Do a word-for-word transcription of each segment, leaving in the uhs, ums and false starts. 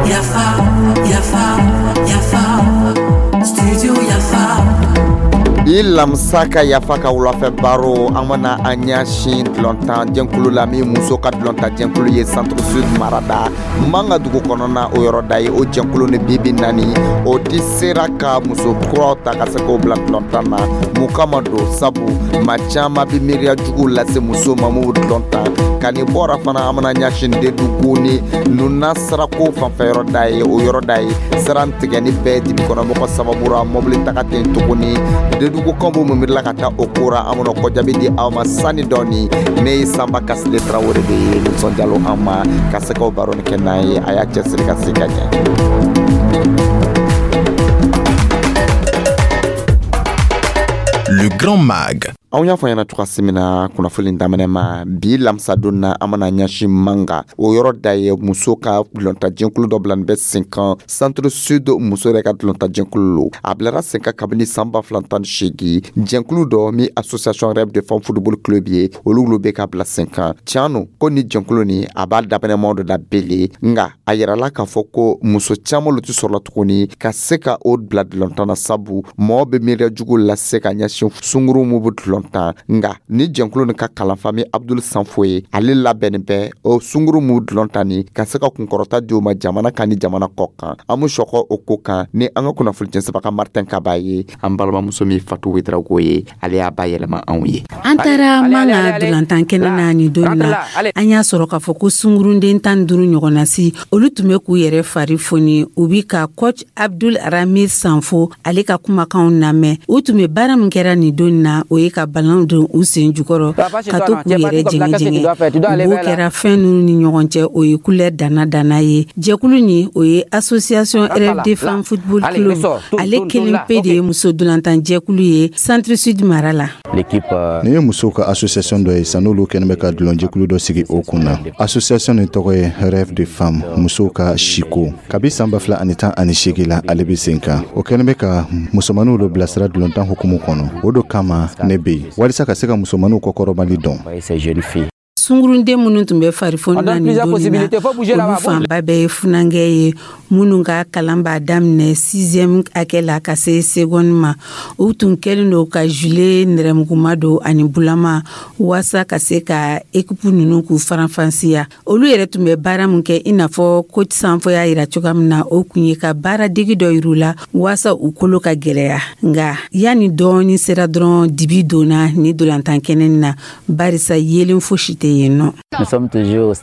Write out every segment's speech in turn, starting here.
Yafa, Yafa, Yafa, Studio Yafa. Bi lamisa ka Yafa ka wulafɛ baro, an bɛna an ɲɛsin dulɔntan jɛnkulu la, min muso ka dulɔntan jɛnkulu ye Centre Sud marada Manga dugu kɔnɔna, o yɔrɔ da ye. O jɛnkulu ni bibi naani o ti sera ka muso kuraw ta ka se k'o bila dulɔntan na. Mun kama don? Sabu maa caman bɛ miiriya juguw lase muso ma mun bɛ dulɔntan ka nin bɔra fana. An bɛna ɲɛsin Dedugu ni Nuna sirako fanfɛ yɔrɔ da ye, o yɔrɔ da ye sira tigɛ ni bɛɛ dibi kɔnɔmɔgɔ sababu ra, mɔbili taga ten tuguni. Dedugu kan b'o mun miirila ka taa o ko ra, an bɛna kɔjaabi di aw ma sani dɔɔni. Ne ye Sanba Kasile Tarawele de ye, nisɔndiyalo an ma ka se k'o baro kɛ n'an ye. A y'a cɛsiri ka se ka ɲɛ. Le Grand Mag. Anw y'a fɔ ɲɛna cogoya min na kunnafoni daminɛ ma, bi lamisadon na, an bɛna ɲɛsin Manga, o yɔrɔ da ye muso ka dulɔntajɛkulu dɔ bila nin bɛ sen kan, Centre Sud muso yɛrɛ ka dulɔntajɛkulu lo. A bilara sen kan kabini san ba fila tan ni seegin. Jɛnkulu dɔ min Association Rêve de Femme Football Club ye, olu lo bɛ ka bila sen kan. Tiɲɛ no ko ni jɛnkulu ni a b'a daminɛmaw dɔ la bele, nga a yirala k'a fɔ ko muso caman lo tɛ sɔrɔla tuguni ka se ka o bila dulɔntan na, sabu mɔgɔ bɛ miiriya jugu lase ka ɲɛsin sunguru mun bɛ dulɔn tan. Nga ni jɛnkulu nin ka kalanfa min Abdul Sanfo ye, ale labɛnnin bɛ o sunguru mun dulɔn tan ni ka se ka kunkɔrɔta di o ma jamana kan ni jamana kɔ kan. An be sɔkɔ o ko kan ni an ka kunnafoni jɛnsɛbaga Martin Kaba ye. An balimamuso min Fatu Wedrago ye, ale y'a ba yɛlɛma anw ye. An taara Manga dolantan kɛnɛ na nin don na, an y'a sɔrɔ k'a fɔ ko sungurunden tan ni duuru ɲɔgɔnna si, olu tun bɛ k'u yɛrɛ fari foni, u bi ka coach Abdul Ramir Sanfo ale ka kumakanw lamɛn. U tun bɛ baara min kɛra nin don na, o ye ka balon don u sen jukɔrɔ ka to k'u yɛrɛ jɛngɛ jɛngɛ. U b'o kɛra fɛn ninnu ni ɲɔgɔn cɛ, o ye couleur danna danna ye. Jɛkulu nin, o ye Association Rêve de Femme Football Club, ale kelen pe de ye muso dolantan jɛkulu ye Centre Sud mara la. Nin ye musow ka association dɔ ye san, n'olu kɛlen bɛ ka dulɔnjɛkulu dɔ sigi o kun na. Association nin tɔgɔ ye Rêve de Femme, musow ka siko. Kabi san ba fila ani tan ani seegin la, ale bɛ sen kan. O kɛlen bɛ ka musomaninw lo bilasira dulɔntan hukumu kɔnɔ. O do kama ne bɛ yen walisa ka se ka musomaninw kɔkɔrɔbali dɔn. Sungurunden minnu tun bɛ farifoni na nin don na, olu fanba bɛɛ ye funankɛ ye minnu ka kalan b'a daminɛ sixième hakɛ la ka se seconde ma. U tun kɛlen don ka gilet nɛrɛmuguma don ani bulama waasa ka se ka équipe ninnu k'u faranfasiya. Olu yɛrɛ tun bɛ baara min kɛ, i n'a fɔ coach Sanfo y'a yira cogoya min na, o kun ye ka baara degi dɔ yir'u la waasa u kolo ka gɛlɛya. Nga yanni dɔɔni sera dɔrɔn, dibi donna ni dolantan kɛnɛ na, barisa yelen fosi tɛ yen nɔ.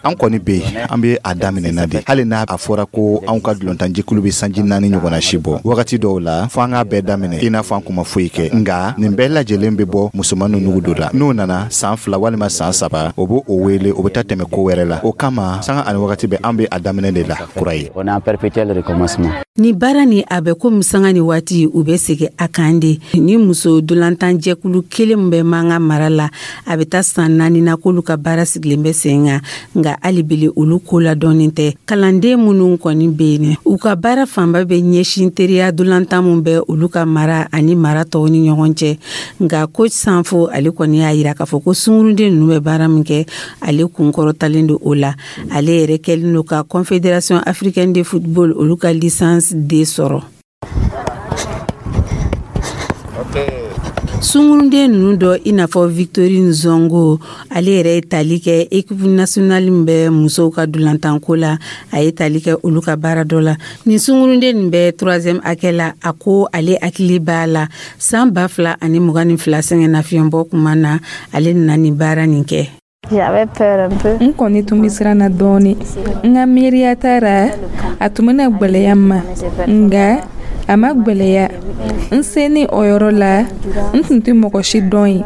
An kɔni bɛ yen, an bɛ a daminɛ na de. Hali n'a a fɔra ko anw ka dulɔntanjɛkulu bɛ sanji naani ɲɔgɔnna si bɔ, wagati dɔw la fo an k'a bɛɛ daminɛ i n'a fɔ an kun ma foyi kɛ. Nga nin bɛɛ lajɛlen bɛ bɔ musomaninw nugu dɔ la. N'o nana san fila walima san saba, o b'o o wele, o bɛ taa tɛmɛ ko wɛrɛ la. O kama sanga ani wagati bɛɛ, an bɛ a daminɛ de la kura ye. Ni baara ni a bɛ komi sanga ni waati u bɛ segin a kan de. Ni muso dolantan jɛkulu kelen min bɛ Manga mara la, a bɛ taa san naani na k'olu ka baara sigilen bɛ sen kan, nka hali bele olu ko ladɔnnen tɛ. Kalanden minnu kɔni bɛ yen, u ka baara fanba bɛ ɲɛsin teriya dolantan min bɛ olu ka mara ani mara tɔw ni ɲɔgɔn cɛ. Nka coach Sanfo ale kɔni y'a yira k'a fɔ ko sungurunden ninnu bɛ baara min kɛ, ale kunkɔrɔtalen don o la. Ale yɛrɛ kɛlen don ka Confédération africaine de football olu ka licence D sɔrɔ. Sungurunden ninnu dɔ, i n'a fɔ Victorine Zongo, ale yɛrɛ ye tali kɛ équipe nationale min bɛ musow ka dolantanko la, a ye tali kɛ olu ka baara dɔ la. Nin sungurunden nin bɛ troisième hakɛ la. A ko ale hakili b'a la, san ba fila ani mugan ni fila, sɛgɛnnafiɲɛbɔ kuma na, ale nana nin baara nin kɛ. N kɔni tun bɛ siran na dɔɔni. N ka miiriya taara a tun bɛna gwɛlɛya n ma, nka a ma gwɛlɛya. N senin o yɔrɔ la, n tun tɛ mɔgɔ si dɔn yen.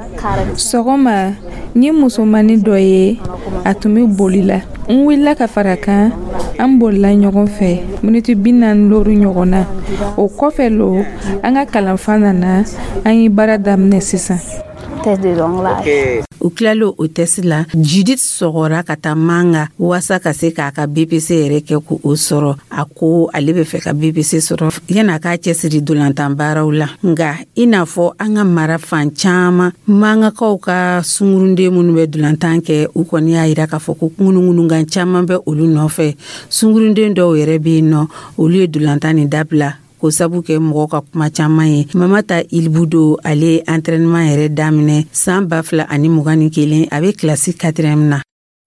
Sɔgɔma, n ye musomannin dɔ ye, a tun bɛ boli la. N wulila ka fara kan, an bolila ɲɔgɔn fɛ miniti bi naani looru ɲɔgɔn na. O kɔfɛ lo, an ka kalanfa nana, an ye baara daminɛ sisan. Test de jonglage. U tilalen o test la, Judith sɔgɔra ka taa Manga waasa ka se k'a ka B P C yɛrɛ kɛ ko o sɔrɔ. A ko ale bɛ fɛ ka B P C sɔrɔ yan'a k'a cɛsiri dolantan baaraw la. Nka i n'a fɔ an ka mara fan caman, Mangakaw ka sungurunden minnu bɛ dolantan kɛ, u kɔni y'a yira k'a fɔ ko ŋunuŋunukan caman bɛ olu nɔfɛ. Sungurunden dɔw yɛrɛ bɛ yen nɔ, olu ye dolantan nin dabila k'o sabu kɛ mɔgɔw ka kuma caman ye. Mamata Ilibudo, ale ye entraînement yɛrɛ daminɛ san ba fila ani mugan ni kelen, a bɛ kilasi quatrième na.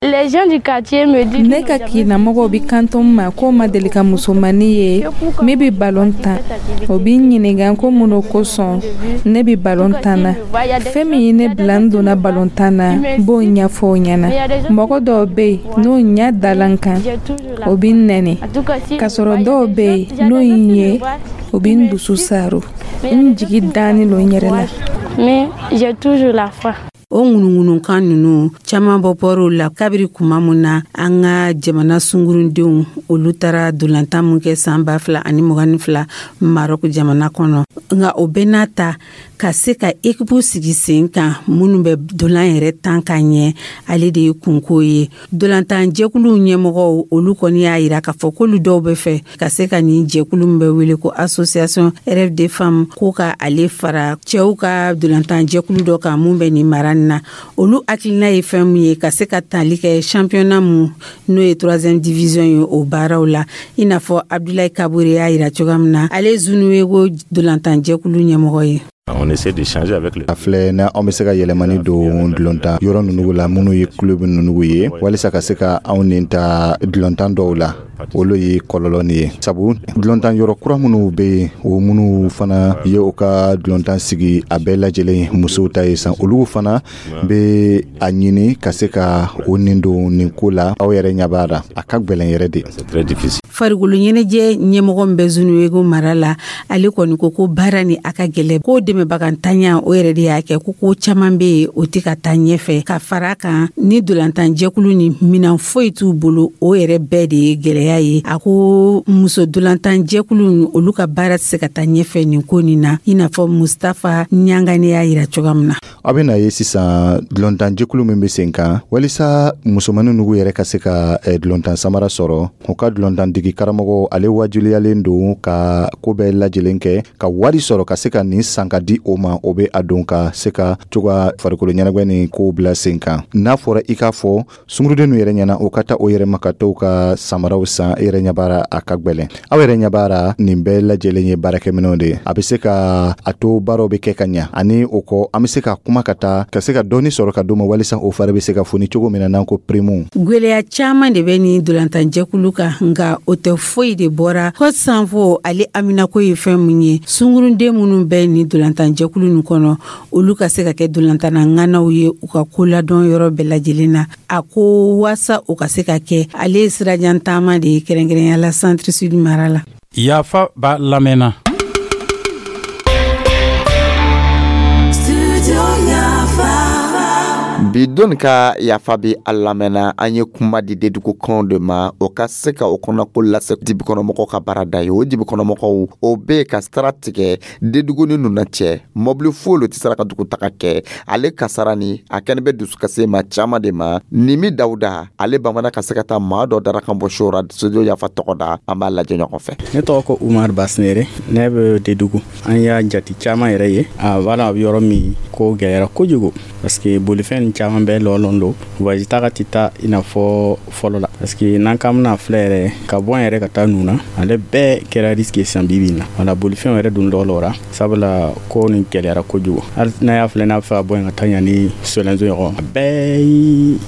Les gens du quartier me disent Ne ka kinamɔgɔw bi kanto n ma ko ma deli ka musomani ye min bi balon tan. O bi n ɲininga ko mun o kosɔn ne bi balon tan na. Fɛn min ye ne bila n donna balon tan na, n b'o ɲɛfɔ o ɲɛna. Mɔgɔ dɔw be yen, n'o ɲɛ dala n kan, o bi n nɛni, k'a sɔrɔ dɔw be yen, n'o ye n ye, o bi n dusu saro. N jigi dannen don n yɛrɛ la. Mais j'ai toujours la foi. O ŋunuŋunukan nunu caaman bɔ bɔr'o la kabiri kuma mun na an ka jamana sungurundenw olu taara dolantan mun kɛ saan ba fila ani mugan ni fila Marɔku jamana kɔnɔ. Nka o bɛɛ n'a ta, ka se ka ekipu sigi sen kan minnu bɛ dolan yɛrɛ tan ka ɲɛ, ale de ye kunko ye. Dolantan jɛkuluw ɲɛmɔgɔw, olu kɔni y'a yira k'a fɔ k'olu dɔw bɛ fɛ ka se ka nin jɛkulu min bɛ wele ko Association Rêve de Femme, ko ka ale fara cɛw ka dolantan jɛkulu dɔ kan mun bɛ nin mara nin na. Olu hakilina ye fɛn mun ye, ka se ka tali kɛ championnat mun n'o ye troisième division ye, o baaraw la, i n'a fɔ Abdulayi Kabure y'a yira cogoya min na, ale Zunuwego dolantan jɛkulu ɲɛmɔgɔ ye. On essaie d'échanger avec les A filɛ na, anw bɛ se ka yɛlɛmani don dulontan yɔrɔ ninnu la, minnu ye club ninnu ye, walisa ka se ka anw nin ta dulontan dɔw la. Olu ye kɔlɔlɔ nin ye, sabu dulontan yɔrɔ kura minnu bɛ yen, o minnu fana ye u ka dulontan sigi, a bɛɛ lajɛlen musow ta ye san, olu fana bɛ a ɲini ka se ka o nin don nin ko la. Aw yɛrɛ ɲɛ b'a la, a ka gwɛlɛn yɛrɛ de. C'est très difficile. Farikolo ɲɛnajɛ ɲɛmɔgɔ min bɛ Zunuwego mara la, ale kɔni ko ko baara ni a ka gɛlɛ, ko dɛmɛbagantanya o yɛrɛ de y'a kɛ ko ko caman bɛ yen, o tɛ ka taa ɲɛfɛ. Ka fara kan, ni dolantan jɛkulu ni minan foyi t'u bolo, o yɛrɛ bɛɛ de ye gɛlɛya ye. A ko muso dolantan jɛkulu, olu ka baara tɛ se ka taa ɲɛfɛ nin ko nin na, i n'a fɔ Mustafa Ɲangane y'a yira cogoya min na. Aw bɛna ye sisan, dulontan jɛkulu min bɛ sen kan walisa musomanin nugu yɛrɛ ka se ka eh, dulontan samara sɔrɔ, u ka dulontan digi karamɔgɔ, ale wajuliyalen don ka ko bɛɛ lajɛlen kɛ ka wari sɔrɔ ka se ka nin san ka di o ma. O bɛ a don ka se ka cogoya farikolo ɲɛnajɛ ni kow bila sen kan. N'a fɔra i k'a fɔ sungurudenw yɛrɛ ɲɛna, o ka taa o yɛrɛ ma ka t'u ka samaraw san, e yɛrɛ ɲɛ b'a la, a ka gwɛlɛn. Aw yɛrɛ ɲɛ b'a la, nin bɛɛ lajɛlen ye baarakɛminɛw de ye, a bɛ se ka a to baaraw bɛ kɛ ka ɲa. Ani o kɔ, an bɛ se ka kuma ka taa ka se ka dɔɔni sɔrɔ ka d'u ma, walisa o fari bɛ se ka foni cogo min na, n'an ko prime. Gwɛlɛya caaman de bɛ nin dolantanjɛkulu kan, nka o tɛ foyi de bɔra ko sanfo. Ale aminako ye fɛn mun ye, sungurunden minnu bɛ nin dolantanjɛkulu nin kɔnɔ, olu ka se ka kɛ dolantanna ŋanaw ye u ka koladɔn yɔrɔ bɛɛ lajɛlen na. A ko waasa o ka se ka kɛ, ale ye sirajan taama de ye, kɛrɛnkɛrɛnya la Centre Sud mara la. Yafa b'a lamɛnna. Studio Yafa. Bi don ka yafa bi a lamɛnna, an ye kuma di dedugukanw de ma, o ka se ka o kɔnɔko lase dibikɔnɔmɔgɔw ka baarada ye. O dibikɔnɔmɔgɔw, o be ka sira tigɛ dedugu ni nuna cɛ, mɔbili foyi lo tɛ sera ka dugutaga kɛ. Ale kasara ni a kɛni bɛ dusukase ma caaman de ma. Nimi Dawuda, ale bamana ka se ka taa maa dɔ darakan bɔ sora Studio Yafa tɔgɔ da. An b'a lajɛ ɲɔgɔn fɛ. Ne tɔgɔ ko Umar Basinere, ne bɛ Dedugu. An y'a jati caman yɛrɛ ye a b'a a bɛ yɔrɔ min ko gɛlɛyara kojugu, parce que bolifɛn caman bɛɛ lɔlɔn don, voyage taga tɛ taa i n'a fɔ fɔlɔ la, parce que n'an k'an bɛna filɛ yɛrɛ ka bɔ an yɛrɛ ka taa nun na, ale bɛɛ kɛra risque ye sisan bi bi in na. Wala bolifɛnw yɛrɛ dun lɔlɔra, sabula ko nin gɛlɛyara kojugu. Hali n'a y'a filɛ, n'a bɛ fɛ ka bɔ yen ka taa ɲa ni Solenzo ɲɔgɔn, a bɛɛ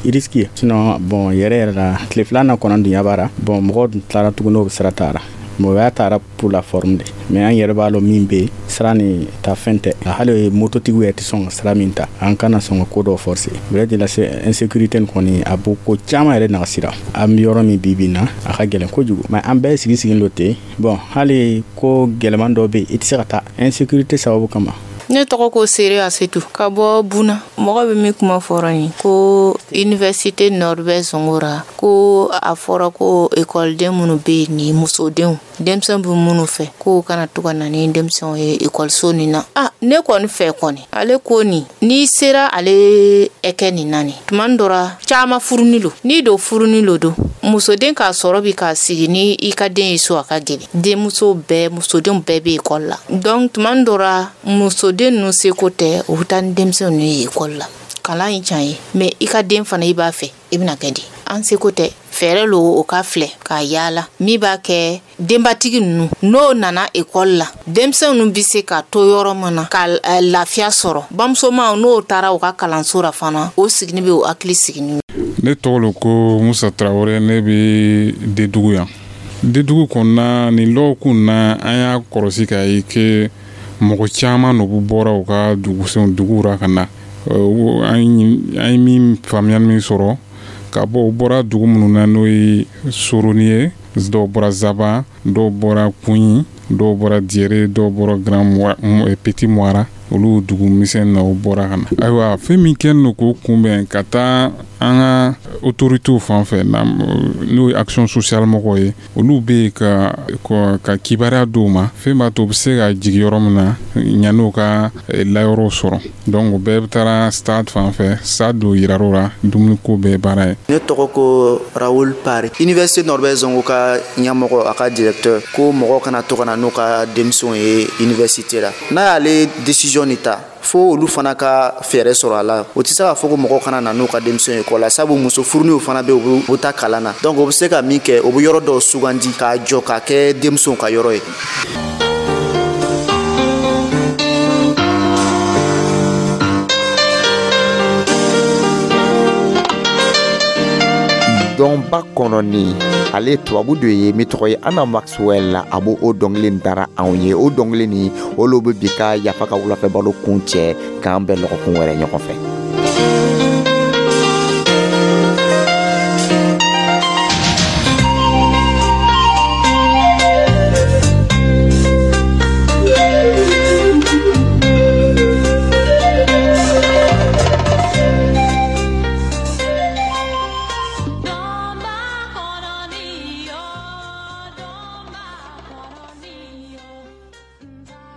ye risque ye. Sinon bon, yɛrɛ yɛrɛ la, tile filanan kɔnɔ dun ɲɛ b'a la, bon, mɔgɔw dun tilara tuguni, o sira taara mɔgɔya taara pour la forme de, mais an yɛrɛ b'a lɔn min bɛ yen, sira ni ta fɛn tɛ. Hali mototigiw yɛrɛ tɛ sɔn ka sira min ta, an kana sɔn ka ko dɔw forcer vrai de la insécurité nin kɔni, a b'o ko caman yɛrɛ nagasira. An bɛ yɔrɔ min bi bi in na, a ka gɛlɛn kojugu, mais an bɛɛ sigi sigilen don ten. Bon, hali ko gɛlɛman dɔ bɛ yen, i tɛ se ka taa insécurité sababu kama. Ne tɔgɔ ko Sere Asetu ka bɔ Buna. Mɔgɔ bɛ min kuma fɔra nin ko Université Norbert Zongo ra, ko a fɔra ko ekɔliden minnu bɛ yen, ni musodenw, denmisɛn bɛ minnu fɛ, k'o kana to ka na ni denmisɛnw ye ekɔliso nin na. A ne kɔni fɛ kɔni, ale ko nin, n'i sera ale ɛkɛ nin na, nin tuma dɔ ra caman furuni lo, n'i don furuni lo don musoden k'a sɔrɔ bi k'a sigi ni i ka den ye so, a ka gɛlɛn. Denmuso bɛɛ, musodenw bɛɛ bɛ ekɔli la. Donc tuma dɔ ra, musoden ninnu seko tɛ, u bɛ taa ni denmisɛnw ninnu ye ekɔli la. Kalan ye can ye, mais i ka den fana, i b'a fɛ i bɛna kɛ di? An seko tɛ, fɛɛrɛ lo o ka filɛ k'a yaala min b'a kɛ denbatigi ninnu, n'o nana ekɔli la, denmisɛn ninnu bɛ se ka to yɔrɔ min na ka lafiya sɔrɔ. Bamusomaw, n'o taara u ka kalanso la fana, o sigini bɛ o hakili sigini. Ne tɔgɔ lo ko Musa Tarawele. Ne bɛ Dedugu yan. Dedugu kɔnɔna nin lɔgɔkun na, an y'a kɔlɔsi k'a ye ke mɔgɔ caman de bɔra u ka dugusenw duguw ra ka na. An ye min faamuya min sɔrɔ ka bɔ, u bɔra dugu minnu na, n'o ye Soroni ye, dɔw bɔra Zaba, dɔw bɔra Kunyi, dɔw bɔra Diyere, dɔw bɔra Grand Petit Moira, olu dugu misɛn na, u bɔra ka na. Ayiwa, fɛn min kɛlen don k'o kunbɛn ka taa an ka autorités fan fɛ, n'o ye action sociale mɔgɔw ye, olu bɛ yen ka ka kibaruya d'u ma, fɛn b'a to u bɛ se ka jigin yɔrɔ min na ɲan'u ka layɔrɔw sɔrɔ. Donc o bɛɛ bɛ taara stade fan fɛ, stade dɔ yirar'u la, dumuniko bɛɛ baara ye. Ne tɔgɔ ko Raoul Pari. Université Norbert Zongo ka ɲɛmɔgɔ, a ka directeur ko mɔgɔ kana to ka na n'u ka denmisɛnw ye université la. N'a y'ale décision nin ta, fo olu fana ka fɛɛrɛ sɔrɔ a la. O tɛ se k'a fɔ ko mɔgɔw kana na n'u ka denmisɛnw ye ekɔli la, sabu muso furuninw fana bɛ yen, u bɛ taa kalan na. Donc o bɛ se ka min kɛ, o bɛ yɔrɔ dɔw sugandi k'a jɔ k'a kɛ denmisɛnw ka yɔrɔ ye. Dɔnba kɔnɔni, ale tubabu dɔ ye min tɔgɔ ye Anna Maxwell, a b'o o dɔnkili dara anw ye. O dɔnkili nin, olu bɛ bi ka Yafa ka wulafɛ baro kun cɛ. K'an bɛn lɔgɔkun wɛrɛ ɲɔgɔn fɛ.